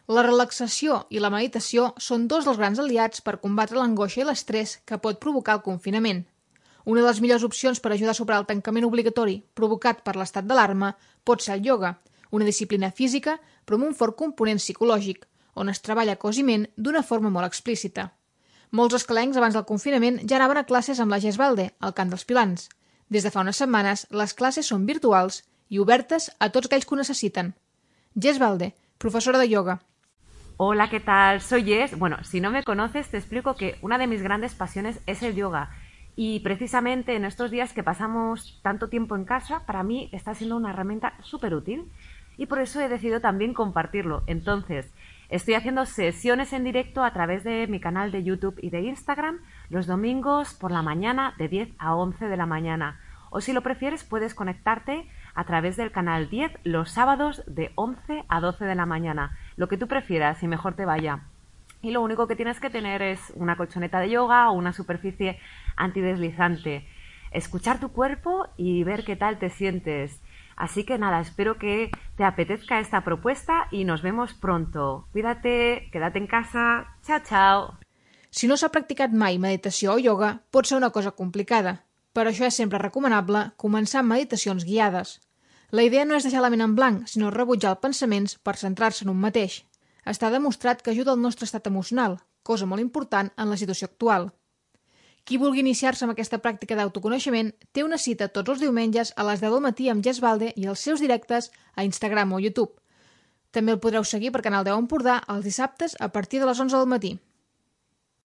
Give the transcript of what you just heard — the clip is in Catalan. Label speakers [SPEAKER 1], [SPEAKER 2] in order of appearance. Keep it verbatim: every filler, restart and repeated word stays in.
[SPEAKER 1] La relaxació i la meditació són dos dels grans aliats per combatre l'angoixa i l'estrès que pot provocar el confinament. Una de les millors opcions per ajudar a superar el tancament obligatori provocat per l'estat d'alarma pot ser el ioga, una disciplina física però amb un fort component psicològic, on es treballa cos i ment d'una forma molt explícita. Molts escalencs abans del confinament ja anaven a classes amb la Jess Balde, al Cant dels Pilans. Des de fa unes setmanes, les classes són virtuals i obertes a tots aquells que ho necessiten. Jess Balde, profesora de yoga.
[SPEAKER 2] Hola, ¿qué tal? Soy Jess. Bueno, si no me conoces, te explico que una de mis grandes pasiones es el yoga. Y precisamente en estos días que pasamos tanto tiempo en casa, para mí está siendo una herramienta súper útil. Y por eso he decidido también compartirlo. Entonces, estoy haciendo sesiones en directo a través de mi canal de YouTube y de Instagram los domingos por la mañana de diez a once de la mañana. O si lo prefieres, puedes conectarte a través del canal diez los sábados de once a doce de la mañana. Lo que tú prefieras y mejor te vaya. Y lo único que tienes que tener es una colchoneta de yoga o una superficie antideslizante. Escuchar tu cuerpo y ver qué tal te sientes. Así que nada, espero que te apetezca esta propuesta y nos vemos pronto. Cuídate, quédate en casa. Chao, chao.
[SPEAKER 1] Si no s'ha practicat mai meditació o yoga, pot ser una cosa complicada. Per això és sempre recomanable començar amb meditacions guiades. La idea no és deixar la ment en blanc, sinó rebutjar els pensaments per centrar-se en un mateix. Està demostrat que ajuda al nostre estat emocional, cosa molt important en la situació actual. Qui vulgui iniciar-se amb aquesta pràctica d'autoconeixement té una cita tots els diumenges a les deu del matí amb Jess Balde i els seus directes a Instagram o YouTube. També el podreu seguir per Canal deu Empordà els dissabtes a partir de les onze del matí.